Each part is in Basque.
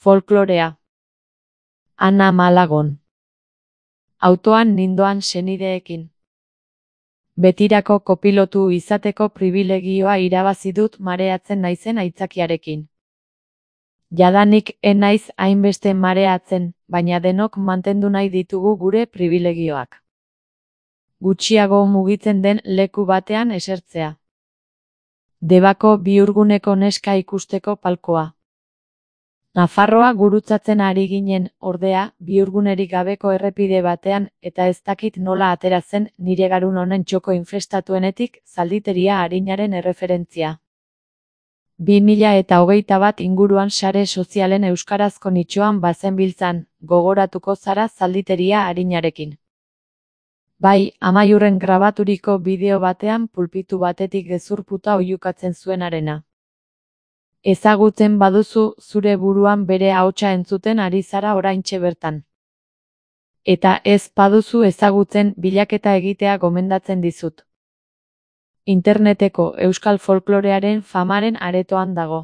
Folklorea. Ana Malagon. Autoan nindoan senideekin. Betirako kopilotu izateko pribilegioa irabazi dut mareatzen naizen aitzakiarekin. Jadanik naiz hainbeste mareatzen, baina denok mantendu nahi ditugu gure pribilegioak. Gutxiago mugitzen den leku batean esertzea. Debako bihurguneko neska ikusteko palkoa. Nafarroa gurutzatzen ari ginen, ordea, bihurgunerik gabeko errepide batean, eta ez dakit nola atera zen nire garun honen txoko infestatuenetik zalditeria arinaren erreferentzia. 2021 inguruan sare sozialen euskarazko nitxoan bazenbiltzan, gogoratuko zara zalditeria arinarekin. Bai, Amaiurren grabaturiko bideo batean pulpitu batetik gezurputa oihukatzen zuenarena. Ezagutzen baduzu, zure buruan bere ahotsa entzuten ari zara oraintxe bertan. Eta ez baduzu ezagutzen, bilaketa egitea gomendatzen dizut. Interneteko euskal folklorearen famaren aretoan dago.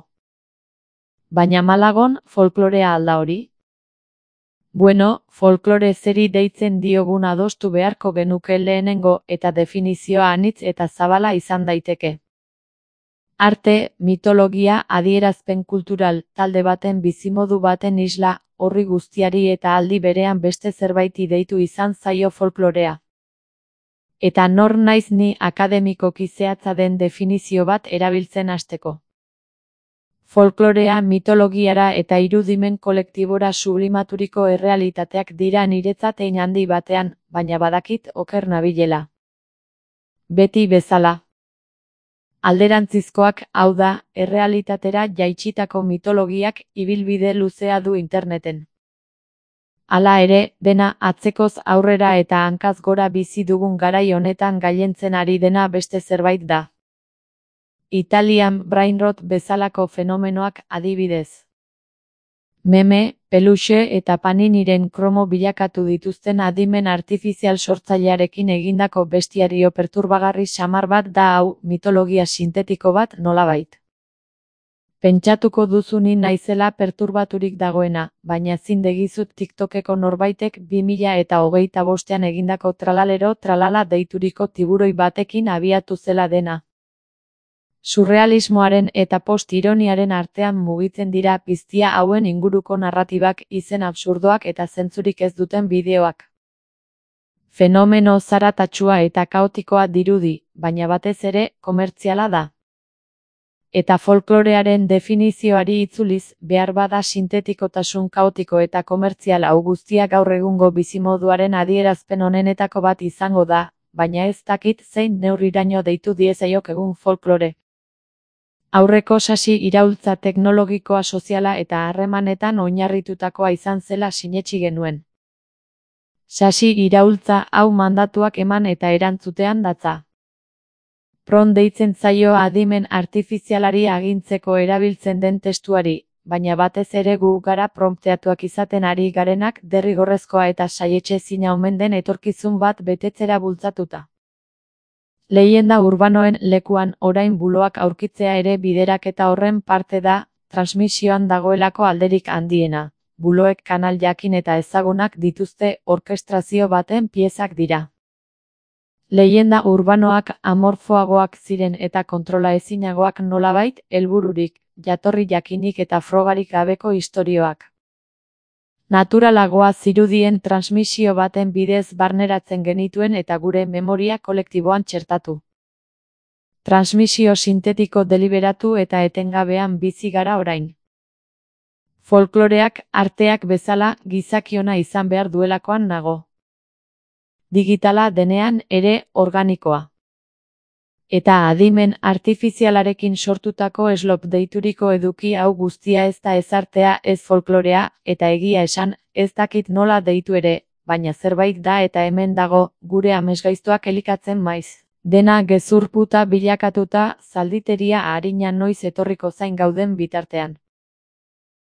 Baina Malagon folklorea alda hori? Bueno, folklore zeri deitzen diogun adostu beharko genuke lehenengo, eta definizioa anitz eta zabala izan daiteke. Arte, mitologia, adierazpen kultural, talde baten bizimodu baten isla, horri guztiari eta aldi berean beste zerbaiti deitu izan zaio folklorea. Eta nor naiz ni akademikoki zehatza den definizio bat erabiltzen hasteko. Folklorea mitologiara eta irudimen kolektibora sublimaturiko errealitateak dira niretzat hein handi batean, baina badakit oker nabilela. Beti bezala. Alderantzizkoak, hau da, errealitatera jaitsitako mitologiak ibilbide luzea du interneten. Hala ere, dena atzekoz aurrera eta hankaz gora bizi dugun garai honetan gailentzen ari dena beste zerbait da. Italian brain rot bezalako fenomenoak adibidez. Meme, peluxe eta paniniren kromo bilakatu dituzten adimen artifizial sortzailearekin egindako bestiario perturbagarri samar bat da hau, mitologia sintetiko bat nolabait. Pentsatuko duzu ni naizela perturbaturik dagoena, baina zindegizut TikTokeko norbaitek 2025an egindako tralalero tralala deituriko tiburoi batekin abiatu zela dena. Surrealismoaren eta post-ironiaren artean mugitzen dira piztia hauen inguruko narratibak, izen absurdoak eta zentzurik ez duten bideoak. Fenomeno zaratatsua eta kaotikoa dirudi, baina batez ere, komertziala da. Eta folklorearen definizioari itzuliz, behar bada sintetikotasun kaotiko eta komertzial hau guztia gaur egungo bizimoduaren adierazpen honenetako bat izango da, baina ez dakit zein neurriraino deitu diezaiok egun folklore. Aurreko sasi iraultza teknologikoa soziala eta harremanetan oinarritutakoa izan zela sinetsi genuen. Sasi iraultza hau mandatuak eman eta erantzutean datza. Prompt deitzen zaio adimen artifizialari agintzeko erabiltzen den testuari, baina batez ere gu gara prompteatuak izaten ari garenak derrigorrezkoa eta saietxezina omen den etorkizun bat betetzera bultzatuta. Leyenda urbanoen lekuan orain buloak aurkitzea ere bideraketa horren parte da, transmisioan dagoelako alderik handiena. Buloek kanal jakin eta ezagunak dituzte, orkestrazio baten piezak dira. Leyenda urbanoak amorfoagoak ziren eta kontrola ezinagoak nolabait, helbururik, jatorri jakinik eta frogarik gabeko istorioak. Naturalagoa zirudien transmisio baten bidez barneratzen genituen eta gure memoria kolektiboan txertatu. Transmisio sintetiko deliberatu eta etengabean bizi gara orain. Folkloreak, arteak bezala, gizakiona izan behar duelakoan nago. Digitala denean ere organikoa. Eta adimen artifizialarekin sortutako slop deituriko eduki hau guztia ez da ez artea, ez folklorea, eta egia esan, ez dakit nola deitu ere, baina zerbait da eta hemen dago, gure amesgaiztoak elikatzen maiz. Dena gezurputa bilakatuta, zalditeria arina noiz etorriko zain gauden bitartean.